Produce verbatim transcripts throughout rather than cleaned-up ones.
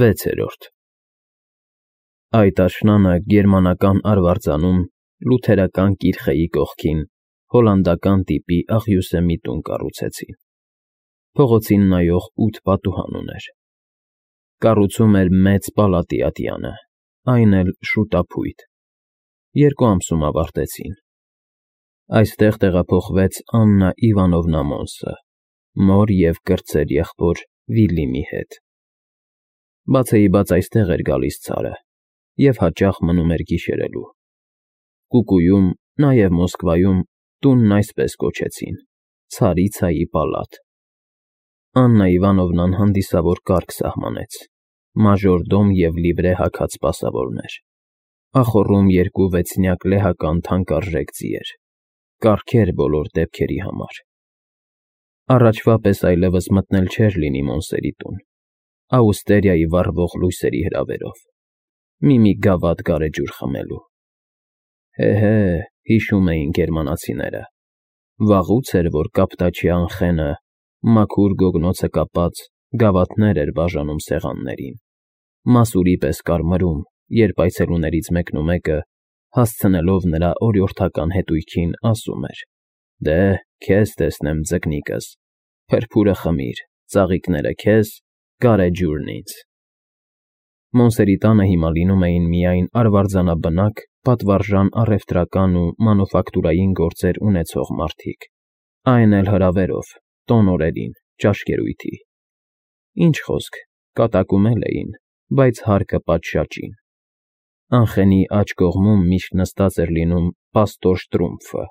վեցերորդ Այդ աշնանը գերմանական արվարձանում լութերական կիրխեի կողքին հոլանդական տիպի աղյուսե մի տուն կառուցեցին. փողոցին նայող ութ պատուհան ուներ. կառուցում էր մեծ պալատի ատյանը, այն էլ շուտափույթ, երկու ամսում ավարտեցին. այստեղ տեղափոխվեց Աննա Իվանովնա Մոնսը, մոր և կրտսեր եղբոր Վիլլիմի հետ. բացեիբաց այստեղ էր գալիս ցարը և հաճախ մնում էր գիշերելու. Կուկուում, նաև Մոսկվայում տունն այսպես կոչեցին. Ցարիցայի պալատ. Աննա Իվանովնան հանդիսավոր կարգ սահմանեց, մաժորդոմ և լիվրե հագած սպասավորներ, ախոռում երկու վեցնյակ լեհական թանկարժեք ձիեր, կառքեր բոլոր դեպքերի համար. առաջվա պես այլևս մտնել չէր լինի Մոնսերի տուն, աուստերիայի վառվող լույսերի հրավերով, մի-մի գավաթ գարեջուր խմելու: Հե՛֊հե, հիշում էին գերմանացիները, վաղուց էր, որ կապտաչի Անխենը, մաքուր գոգնոցը կապած, գավաթներ էր բաժանում սեղաններին, մասուրի պես կարմրում, երբ այցելուներից մեկնումեկը, հասցնելով նրա օրիորդական հետույքին, ասում էր. դե, քեզ տեսնեմ ձկնիկս, փրփուրը խմիր, ծաղիկները քեզ, գարեջուրն ինձ: Մոնսերի տանը հիմա լինում էին միայն արվարձանաբնակ, պատվարժան առևտրական ու մանուֆակտուրային գործեր ունեցող մարդիկ, այն էլ հրավերով, տոն օրերին, ճաշկերույթի: Ինչ խոսք, կատակում էլ էին, բայց հարկը պատշաճին: Անխենի աջ կողմում միշտ նստած էր լինում պաստոր Շտրումֆը,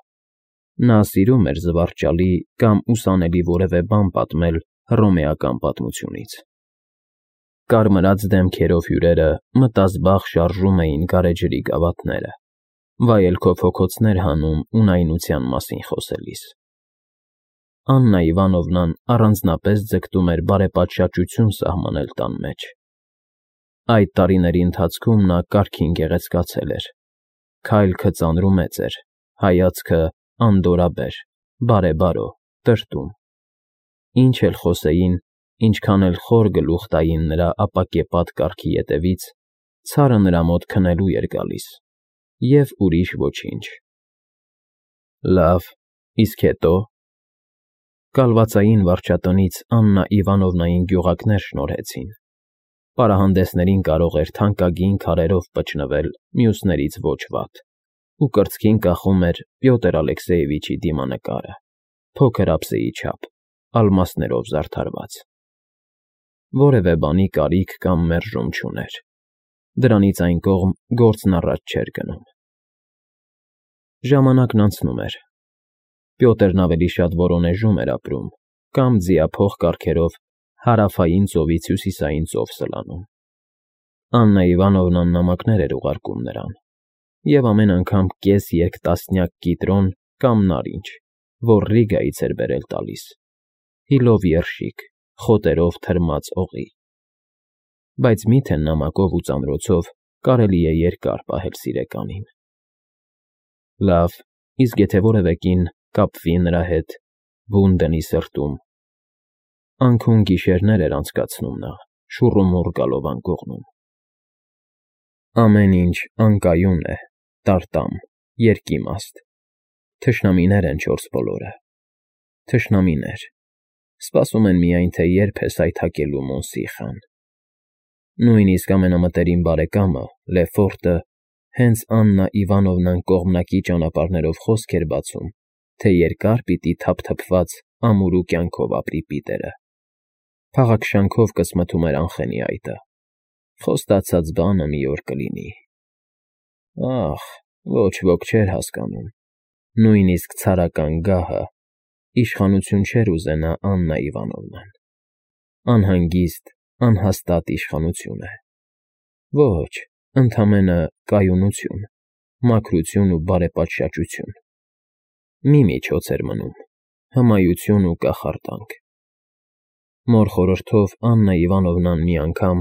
նա սիրում էր զվարճալի կամ ուսանելի որևէ բան պատմել հռոմեական պատմությունից: Կարմրած դեմքերով հյուրերը մտազբաղ շարժում էին գարեջրի գավաթները, վայելքով հոգոցներ հանում ունայնության մասին խոսելիս: Աննա Իվանովնան առանձնապես ձգտում էր բարեպատշաճություն սահմանել տան մեջ: Այդ տարիների ընթացքում նա կարգին գեղեցկացել էր, քայլքը ծանրումեծ էր, հայացքը անդորրաբեր, բարեբարո, տրտում: Ինչ էլ խոսեին, ինչքան էլ խոր գլուխ տային նրա ապակեպատ կառքի ետևից, ցարը նրա մոտ քնելու էր գալիս և ուրիշ ոչինչ: Լավ, իսկ հետո՞: Կալվածային վարչատնից Աննա Իվանովնային գյուղակներ շնորհեցին, պարահանդեսներին կարող էր թանկագին քարերով պճնվել մյուսներից ոչ վատ ու կրծքին կախում էր Պյոտր Ալեքսեևիչի դիմանկարը, փոքր ափսեի չափ, ալմասներով զարդարված: Որևէ բանի կարիք կամ մերժում չուներ, դրանից այն կողմ գործն առաջ չէր գնում: Ժամանակն անցնում էր, Պյոտրն ավելի շատ Վորոնեժում էր ապրում կամ ձիափող կառքերով Հարավային ծովից Հյուսիսային ծով սլանում: Աննա Իվանովնան նամակներ էր ուղարկում նրան և ամեն անգամ կես երկտասնյակ կիտրոն կամ նարինջ, որ Ռիգայից էր բերել տալիս, հիլով երշիկ, խոտերով թրմած օղի: Բայց մի՞թե նամակով ու ծանրոցով կարելի է երկար պահել սիրեկանին: Լավ, իսկ եթե որևէ կին կապվի նրա հետ, բուն դնի սրտում: Անքուն գիշերներ էր անցկացնում նա, շուռումուռ գալով անկողնում: Ամեն ինչ անկայուն է, տարտամ, երկիմաստ, թշնամիներ են չորս բոլորը: Թշնամիներ, սպասում են միայն, թե երբ է սայթաքելու Մոնսի խան: Նույնիսկ ամենամտերիմ բարեկամը՝ Լեֆորտը, հենց Աննա Իվանովնան կողմնակի ճանապարհներով խոսք էր բացում, թե երկար պիտի թափթփված ամուրու կյանքով ապրի Պիտերը: Փաղաքշանքով կսմթում էր Անխենի այտը, խոստացած բանը մի օր կլինի: Ախ, ոչ ոք չէր հասկանում, նույնիսկ ցարական գահը, իշխանություն չէր ուզենա Աննա Իվանովնան: Անհանգիստ, անհաստատ իշխանություն է: Ոչ, ընդամենը կայունություն, մաքրություն ու բարեպատշաճություն: Մի միջոց էր մնում՝ հմայություն ու կախարդանք: Մոր խորհրդով Աննա Իվանովնան մի անգամ,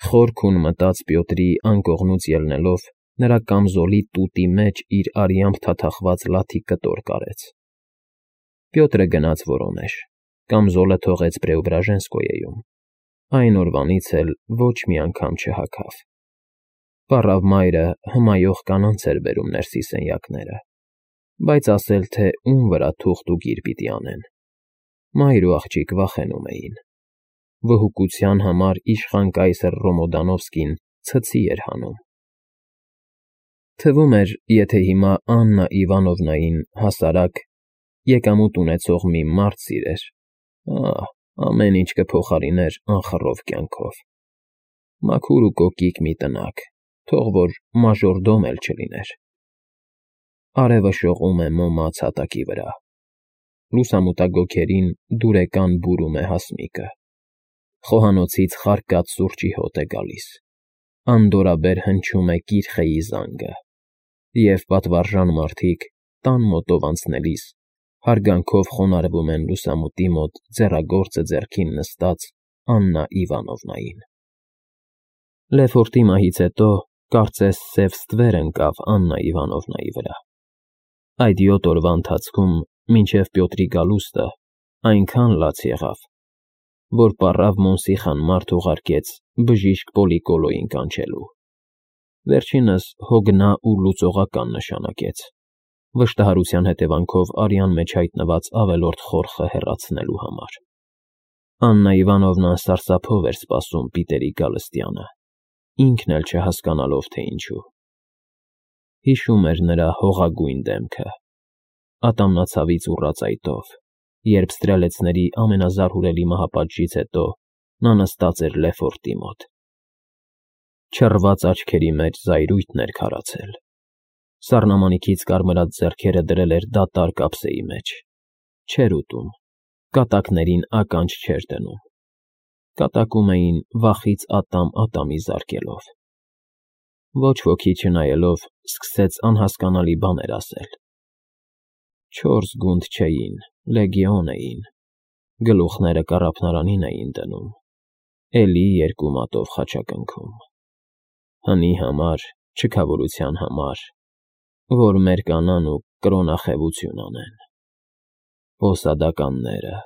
խոր քուն մտած Պյոտրի անկողնուց ելնելով, նրա կամզոլի տուտի մեջ իր արյամբ թաթախված լաթի կտոր կարեց: Պյոտրը գնաց Վորոնեժ, կամզոլը թողեց Պրեոբրաժենսկոյեում, Այն օրվանից էլ ոչ մի անգամ չհագավ։ Պառավ մայրը հմայող կանանց էր բերում ներսի սենյակները, բայց ասել, թե ում վրա թուղթ ու գիր պիտի անեն։ Մայր ու աղջիկ վախենում էին։ Վհուկության համար իշխան կայսր Ռոմոդանովսկին ցցի էր հանում։ Թվում էր, եթե հիմա Աննա Իվանովնային հասարակ, եկամուտ ունեցող մի մարդ սիրեր, ահ, ամեն ինչ կփոխարիներ անխռով կյանքով։ Մաքուր ու կոկիկ մի տնակ, թող որ մաժորդոմ էլ չլիներ։ Արևը շողում է մոմած հատակի վրա։ Լուսամուտագոգերին դուրեկան բուրում է հասմիկը։ Խոհանոցից խարկած սուրճի հոտ է գալիս։ Անդորրաբեր հնչում է կիրխեի զանգը, և պատվարժան մարդիկ, տան մոտով անցնելիս, հարգանքով խոնարհվում են լուսամուտի մոտ ձեռագործը ձեռքին նստած Աննա Իվանովնային։ Լեֆորտի մահից հետո կարծես սև ստվեր ընկավ Աննա Իվանովնայի վրա։ Այդ յոթ օրվա ընթացքում, մինչև Պյոտրի գալուստը, այնքան լաց եղավ, որ պառավ Մոնսիխան մարդ ուղարկեց բժիշկ Պոլիկոլոյին կանչելու։ Վերջինս հոգնա ու լուծողական նշանակեց, վշտահարության հետևանքով արյան մեջ հայտնված ավելորդ խորխը հեռացնելու համար։ Աննա Իվանովնան սարսափով էր սպասում Պիտերի գալստյանը, ինքն էլ չհասկանալով, թե ինչու։ Հիշում էր նրա հողագույն դեմքը, ատամնացավից ուռած այտով, երբ ստրելեցների ամենազարհուրելի մահապատժից հետո նա նստած էր Լեֆորտի մոտ։ Չռված աչքերի մեջ զայրույթն էր քարացել։ Սառնամանիքից կարմրած ձեռքերը դրել էր դատարկ ափսեի մեջ։ Չէր ուտում, կատակներին ականջ չէր դնում։ Կատակում էին վախից ատամ-ատամի զարկելով։ Ոչ ոքի չնայելով, սկսեց անհասկանալի բաներ ասել։ Չորս գունդ չէին, լեգիոն էին, գլուխները կառափնարանին էին դնում, էլի երկու մատով խաչակնքում։ Հնի համար, չքավորության համար, որ մեր կանան ու կրոնախևություն անեն։ Պոսադականները,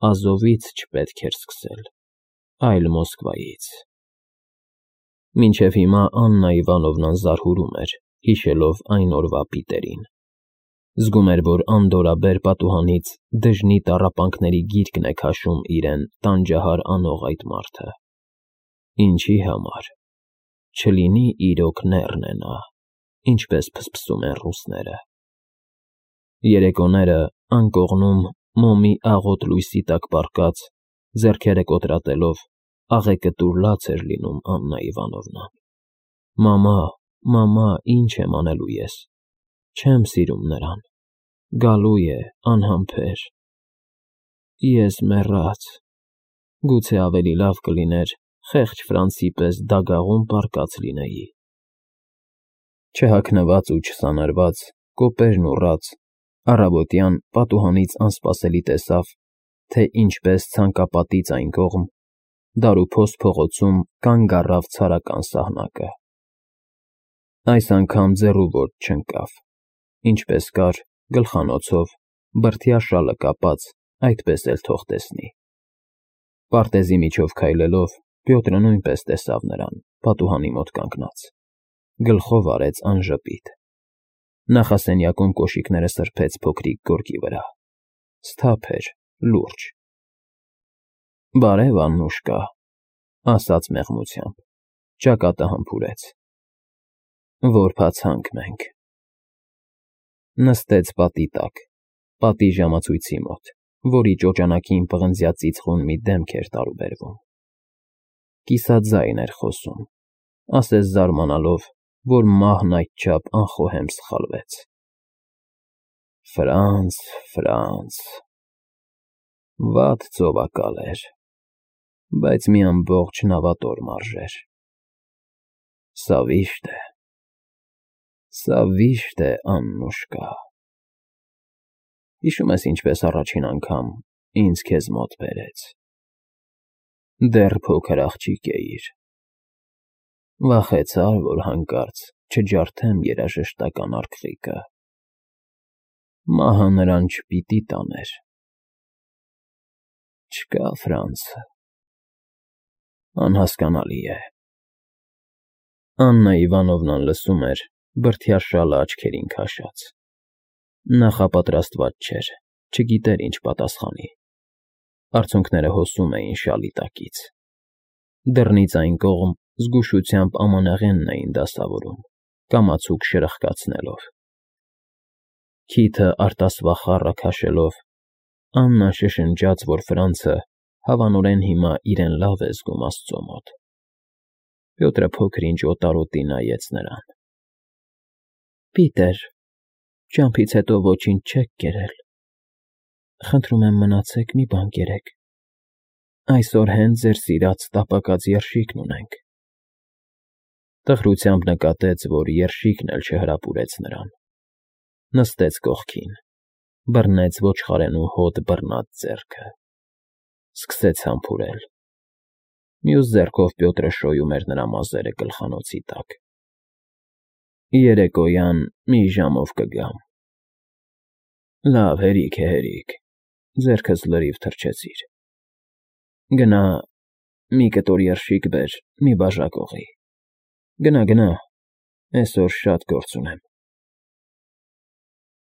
Ազովից չպետք էր սկսել, այլ Մոսկվայից։ Մինչև հիմա Աննա Իվանովնան զարհուրում էր, հիշելով այն օրվա Պիտերին։ Զգում էր, որ անդորրաբեր պատուհանից դժնի տառապանքների գիրկն է քաշում իրեն տանջահար անող այդ մարդը։ Ինչի համար։ Չլինի իրոք նեռն է նա, ինչպես փսփսում են ռուսները։ Երեկոները անկողնում մոմի աղոտ լույսի տակ պառկած, ձեռքերը կոտրատելով, աղեկտուր լաց էր լինում Աննա Իվանովնան։ Մամա, մամա, ինչ եմ անելու ես։ Չեմ սիրում նրան։ Գալու է, անհամբեր։ Ես մեռած։ Գուցե ավելի լավ կլիներ խեղճ Ֆրանցի պես դագաղում պառկած լինեի։ Չհագնված ու չսանրված, կոպերն ուռած, առավոտյան պատուհանից անսպասելի տեսավ, թե ինչպես ցանկապատից այն կողմ, դարուփոստ փողոցում կանգ առավ ցարական սահնակը։ Այս անգամ ձեռու ոտք չընկավ, ինչպես կար, գլխանոցով, բրդյա շալը կապած, այդպես էլ թող տեսնի։ Պարտեզի միջով քայլելով, Պյոտրը նույնպես տեսավ նրան, պատուհանի մոտ կանգնած։ Գլխով արեց անժպիտ։ Նախասենյակում կոշիկները սրբեց փոքրիկ գորգի վրա։ Սթափ էր, լուրջ։ Բարև, Աննուշկա, ասաց մեղմությամբ, ճակատը համբուրեց։ Որբացանք մենք։ Նստեց պատի տակ, պատի ժամացույցի մոտ, որի ճոճանակին պղնձյա ծիծխուն մի դեմք էր տարուբերվում։ Կիսաձայն էր խոսում, ասես զարմանալով, որ մահն այդչափ անխոհեմ սխալվեց։ Ֆրանց, Ֆրանց… Վատ ծովակալ էր, բայց մի ամբողջ նավատոր մարժեր։ Սա վիշտ է, սա վիշտ է, Աննուշկա։ Հիշում ես ինչպես առաջին անգամ ինձ քեզ մոտ բերեց։ Դեռ փոքր աղջիկ էիր։ Վախեցար, որ հանկարծ չջարդեմ երաժշտական արկղիկը։ Մահը նրան չպիտի տաներ։ Չկա, Ֆրանց, Անհասկանալի է։ Աննա Իվանովնան լսում էր, բրդյա շալը աչքերին քաշած. նախապատրաստված չէր, չգիտեր ինչ պատասխանի։ Արցունքները հոսում էին շալի տակից։ Դռնից այն կողմ զգուշությամբ ամանեղենն էին դասավորում, կամացուկ շրխկացնելով։ Քիթը արտասվա խառը քաշելով, Աննան շշնջաց, որ Ֆրանցը հավանորեն հիմա իրեն լավ է զգում աստծո մոտ։ Պյոտրը փոքր-ինչ օտարոտի նայեց նրան։ Պիտեր, ճամփից հետո ոչինչ չեք կերել։ Խնդրում եմ մնացեք, մի բան կերեք։ Այսօր հենց ձեր սիրած տապակած երշիկն ունենք։ Տխրությամբ նկատեց, որ երշիկն էլ չհրապուրեց նրան։ Նստեց կողքին, բռնեց ոչխարենու հոտ բռնած ձեռքը։ Սկսեց համբուրել։ Մյուս ձեռքով Պյոտրը շոյում էր նրա մազերը գլխանոցի տակ։ Երեկոյան մի ժամով կգամ։ Լավ, հերիք է, հերիք, ձեռքս լրիվ թրջեցիր։ Գնա, մի կտոր երշիկ բեր, մի բաժակ օղի։ Գնա, գնա, այսօր շատ գործ ունեմ։